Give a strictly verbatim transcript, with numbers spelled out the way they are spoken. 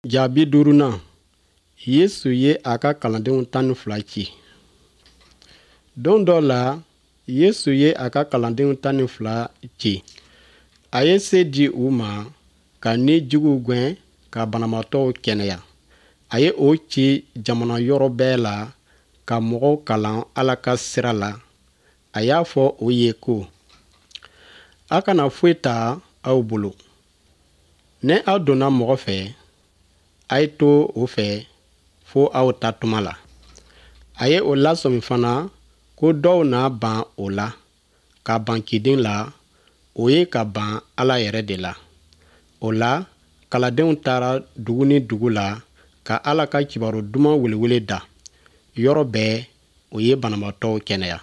Jaabi duurunan, Yesu ye a ka kalandenw tan ni fila ci. Don dɔ la, Yesu ye a ka kalandenw tan ni fila ci. A ye se di u ma ka ni juguw gɛn ka banabaatɔw kɛnɛya. A ye o ci jamana yɔrɔ bɛɛ la ka mɔgɔw kalan Ala ka sira la. A y'a fɔ o ye ko: A kana foyi ta aw bolo. Ni aw donna mɔgɔ fɛ, a ye to o fɛ fo aw ta tuma la. A ye o lasɔmi fana ko dɔw na ban o la, ka ban ciden la, o ye ka ban Ala yɛrɛ de la. O la, kalandenw taara dugu ni dugu la ka Ala ka kibaru duman welewele da. Yɔrɔ bɛɛ, o ye banabaatɔw kɛnɛya.